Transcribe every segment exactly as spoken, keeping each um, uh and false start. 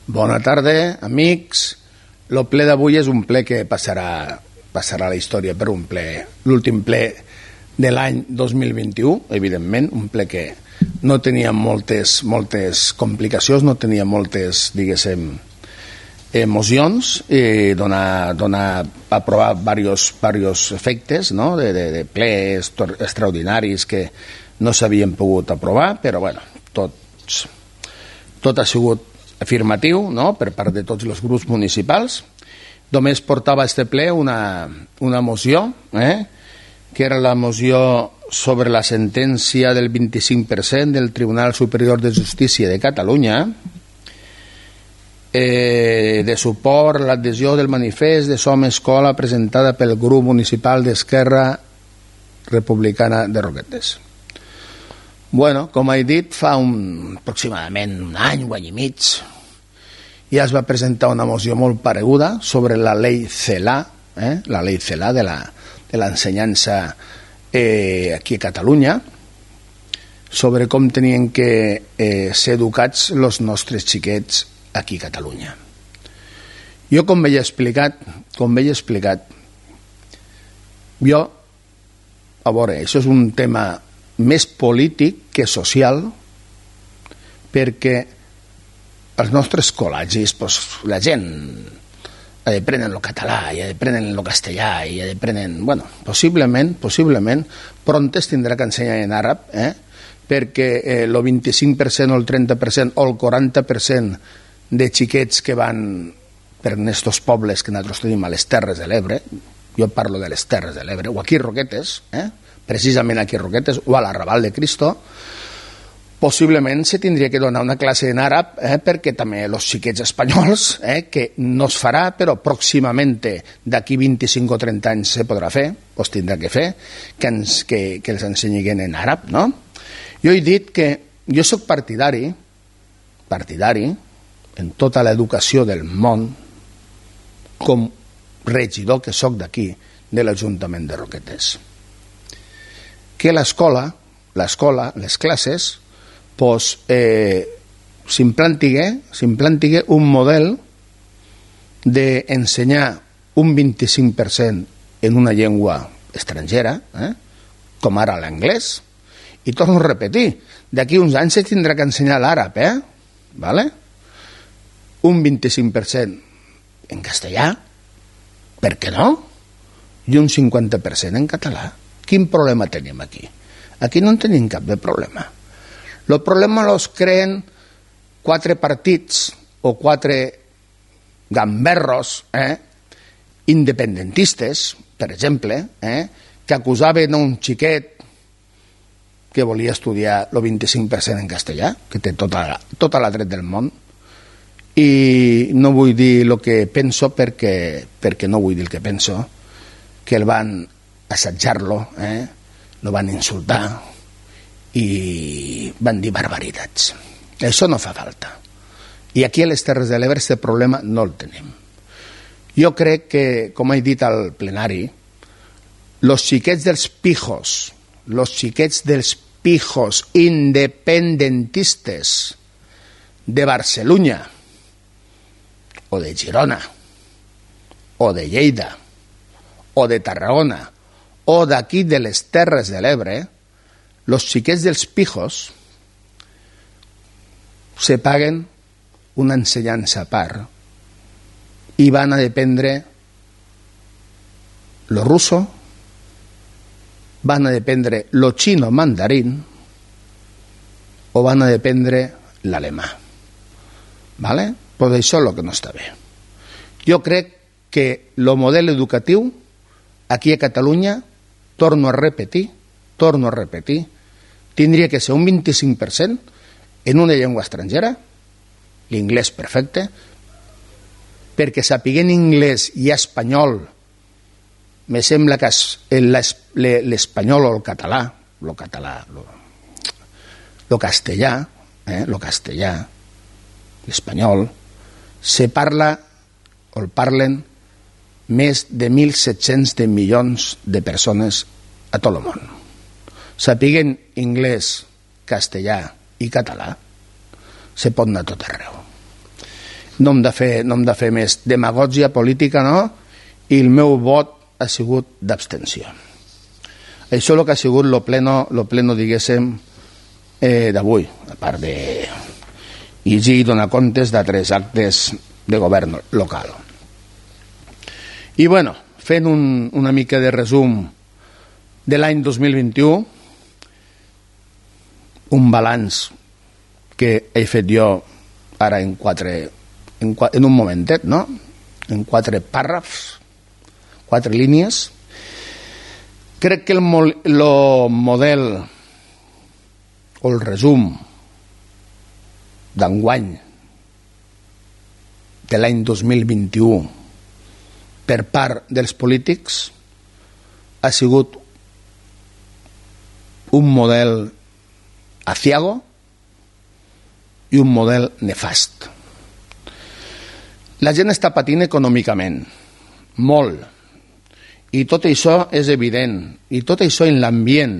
Bona tarda, amics. El ple d'avui és un ple que passarà, passarà a la història per un ple, l'últim ple de l'any dos mil vint-i-u, evidentment, un ple que no tenia moltes, moltes complicacions, no tenia moltes, diguéssim, emocions, i dona, dona a provar diversos, diversos efectes, no? de, de, de plees extraordinaris que no s'havien pogut aprovar, però bueno, tots, tot ha sigut afirmatiu, no? Per part de tots els grups municipals. Només portava a este ple una, una moció, eh? que era la moció sobre la sentència del vint-i-cinc per cent del Tribunal Superior de Justícia de Catalunya, eh, de suport a l'adhesió del manifest de Som Escola presentada pel grup municipal d'Esquerra Republicana de Roquetes. Bueno, com he dit, fa un, aproximadament un any, un any i mig, ja es va presentar una moció molt pareguda sobre la llei CELA, eh? la llei CELA de la, de l'ensenyança eh, aquí a Catalunya, sobre com tenien que eh, ser educats els nostres xiquets aquí a Catalunya. Jo, com veia explicat, com veia explicat, jo, a veure, això és un tema més polític que social, perquè als nostres col·legis pues, la gent ha d'aprendre el català, i ha d'aprendre el castellà, i ha d'aprendre... Bueno, possiblement, possiblement, prontes tindrà que ensenyar en àrab, eh? perquè eh, el vint-i-cinc per cent o el trenta per cent o el quaranta per cent de xiquets que van per aquests pobles que nosaltres tenim a les Terres de l'Ebre, jo parlo de les Terres de l'Ebre, o aquí a Roquetes, eh? precisament aquí a Roquetes, o a l'Arrabal de Cristo, possiblement se tindria que donar una classe en àrab, eh, perquè també els xiquets espanyols, eh, que no es farà, però pròximament d'aquí vint-i-cinc o trenta anys se podrà fer, o es tindrà que fer, que, ens, que, que els ensenyin en àrab, no? Jo he dit que jo soc partidari, partidari, en tota l'educació del món, com regidor que soc d'aquí, de l'Ajuntament de Roquetes, que l'escola, l'escola, les classes, pues, eh, s'implantigui un model d'ensenyar un vint-i-cinc per cent en una llengua estrangera, eh, com ara l'anglès, i torno a repetir, d'aquí uns anys se tindrà que ensenyar l'àrab, eh? ¿Vale? Un vint-i-cinc per cent en castellà, per què no? I un cinquanta per cent en català. Quin problema tenim aquí? Aquí no en tenim cap de problema. El problema los creen quatre partits o quatre gamberros eh, independentistes, per exemple, eh, que acusaven a un xiquet que volia estudiar el vint-i-cinc per cent en castellà, que té tota, tota la dret del món, i no vull dir el que penso perquè, perquè no vull dir el que penso, que el van assetjar-lo, eh? lo van insultar i van dir barbaritats. Això no fa falta. I aquí a les Terres de l'Ebre aquest problema no el tenim. Jo crec que, com he dit al plenari, els xiquets dels pijos, els xiquets dels pijos independentistes de Barcelona o de Girona o de Lleida o de Tarragona o d'aquí de les Terres de l'Ebre, els xiquets dels pijos se paguen una ensenyança a part i van a dependre lo russo, van a dependre lo chino mandarín o van a dependre l'alemà. ¿Vale? Però això és el que no està bé. Jo crec que el model educatiu aquí a Catalunya, torno a repetir, torno a repetir, tindria que ser un vint-i-cinc per cent en una llengua estrangera, l'inglès perfecte, perquè sapiguent anglès i espanyol, me sembla que l'espanyol o el català, el català, el castellà, eh, el castellà, l'espanyol, se parla o el parlen més de mil set-cents de milions de persones a tot el món. Sapiguen anglès, castellà i català, se pot anar a tot arreu. no hem de fer, no hem de fer més demagògia política, no? I el meu vot ha sigut d'abstenció. Això és el que ha sigut lo pleno, lo pleno diguéssim, eh, d'avui, a part de llegir i donar comptes de tres actes de govern local. I bueno, fent un, una mica de resum de l'any dos mil vint-i-u, un balanç que he fet jo ara en quatre, en, en un momentet, no? En quatre pàrrafs, quatre línies. Crec que el, el model o el resum d'enguany de l'any dos mil vint-i-u per part dels polítics ha sigut un model aciago i un model nefast. La gent està patint econòmicament, molt, i tot això és evident, i tot això en l'ambient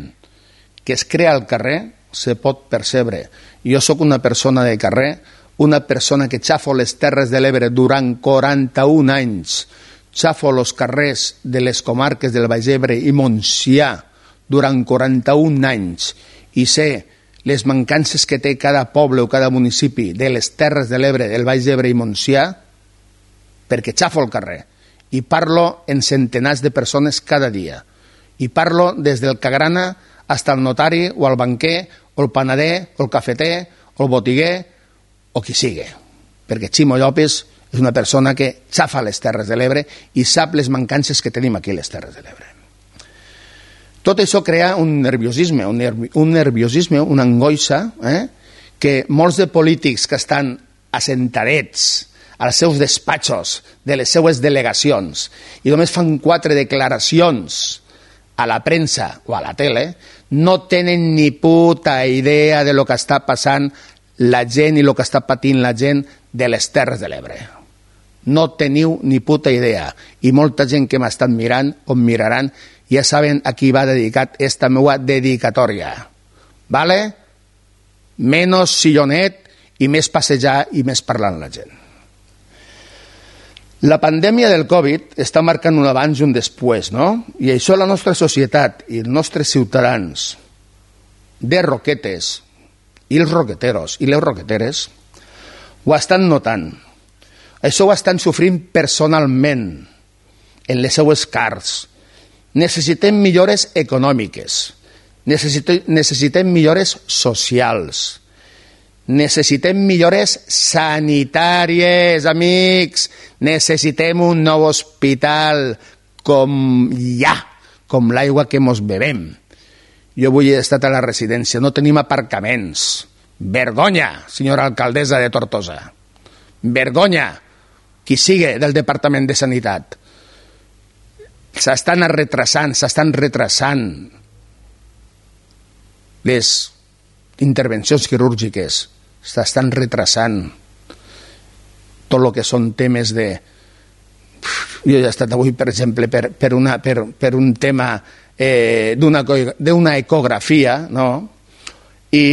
que es crea al carrer se pot percebre. Jo sóc una persona de carrer, una persona que xafo les Terres de l'Ebre durant quaranta-un anys, xafo els carrers de les comarques del Baix Ebre i Montsià durant quaranta-un anys i sé les mancances que té cada poble o cada municipi de les Terres de l'Ebre, del Baix Ebre i Montsià, perquè xafo el carrer i parlo en centenars de persones cada dia. I parlo des del cagrana fins al notari o al banquer o el panader o el cafeter o el botiguer o qui sigui. Perquè Ximo Llopis és una persona que xafa les Terres de l'Ebre i sap les mancances que tenim aquí a les Terres de l'Ebre. Tot això crea un nerviosisme, un, nervi, un nerviosisme, una angoixa, eh? que molts de polítics que estan assentadets als seus despatxos de les seues delegacions i només fan quatre declaracions a la premsa o a la tele, no tenen ni puta idea de lo que està passant la gent i el que està patint la gent de les Terres de l'Ebre. No teniu ni puta idea. I molta gent que m'estan mirant o em miraran ja saben a qui va dedicat esta meua dedicatòria. Vale? Menos sillonet i més passejar i més parlar amb la gent. La pandèmia del Covid està marcant un abans i un després, no? I això la nostra societat i els nostres ciutadans de Roquetes i els roqueteros i les roqueteres ho estan notant. Això ho estan sofrint personalment en les seues carns. Necessitem millores econòmiques, necessitem, necessitem millores socials, necessitem millores sanitàries, amics. Necessitem un nou hospital com ja, com l'aigua que mos bevem. Jo avui he estat a la residència, no tenim aparcaments. Vergonya, senyora alcaldessa de Tortosa. Vergonya, qui sigui del Departament de Sanitat. S'estan retrasant, s'estan retrasant les intervencions quirúrgiques, s'estan retrasant tot el que són temes de... Jo he estat avui, per exemple, per, per, una, per, per un tema eh, d'una ecografia, no? I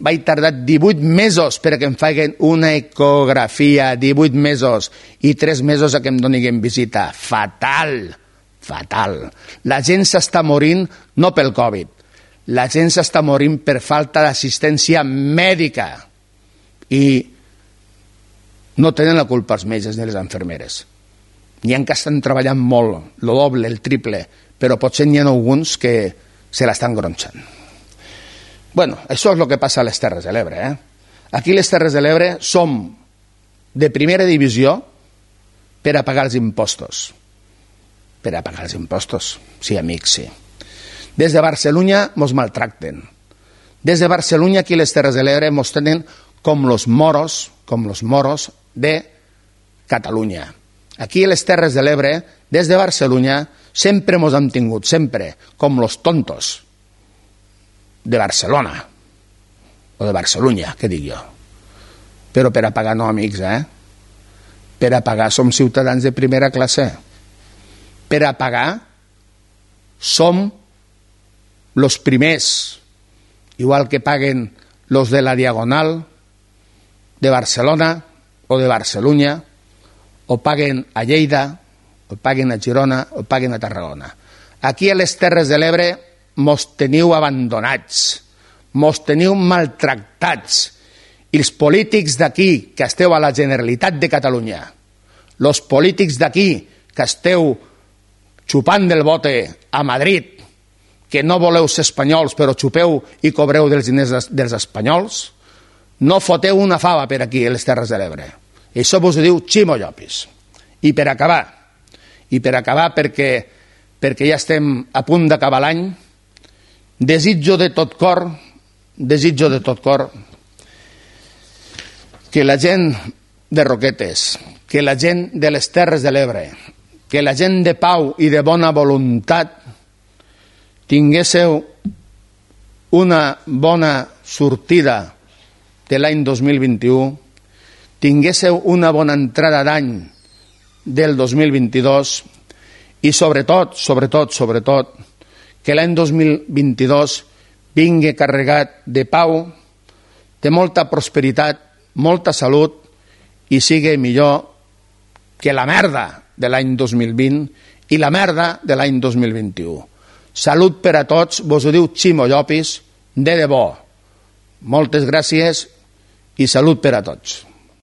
vaig tardar divuit mesos perquè em facin una ecografia, divuit mesos, i tres mesos a que em donin visita. Fatal, fatal. La gent s'està morint no pel Covid, la gent s'està morint per falta d'assistència mèdica i no tenen la culpa els metges ni les infermeres. N'hi ha que estan treballant molt, el doble, el triple, però potser n'hi ha alguns que se l'estan gronxant. Bueno, això és el que passa a les Terres de l'Ebre. Eh? Aquí a les Terres de l'Ebre som de primera divisió per a pagar els impostos. Per a pagar els impostos, sí, amics, sí. Des de Barcelona mos maltracten. Des de Barcelona aquí a les Terres de l'Ebre mos tenen com los moros, com los moros de Catalunya. Aquí a les Terres de l'Ebre, des de Barcelona, sempre mos han tingut, sempre, com los tontos de Barcelona, o de Barcelunya, què dic jo. Però per a pagar no, amics, eh? Per a pagar som ciutadans de primera classe. Per a pagar som los primers, igual que paguen los de la Diagonal, de Barcelona o de Barcelona, o paguen a Lleida, o paguen a Girona, o paguen a Tarragona. Aquí a les Terres de l'Ebre mos teniu abandonats, mos teniu maltractats, i els polítics d'aquí que esteu a la Generalitat de Catalunya, els polítics d'aquí que esteu xupant del bote a Madrid, que no voleu ser espanyols però xupeu i cobreu dels diners dels espanyols, no foteu una fava per aquí a les Terres de l'Ebre. I això vos ho diu Ximo Llopis. I per acabar, i per acabar perquè, perquè ja estem a punt d'acabar l'any, desitjo de tot cor, desitjo de tot cor que la gent de Roquetes, que la gent de les Terres de l'Ebre, que la gent de pau i de bona voluntat tinguéssiu una bona sortida de l'any dos mil vint-i-u, tinguéssiu una bona entrada d'any del dos mil vint-i-dos i sobretot, sobretot, sobretot, que l'any dos mil vint-i-dos vingui carregat de pau, de molta prosperitat, molta salut i sigui millor que la merda de l'any dos mil vint i la merda de l'any dos mil vint-i-u. Salut per a tots, vos ho diu Ximo Llopis, de debò. Moltes gràcies i salut per a tots.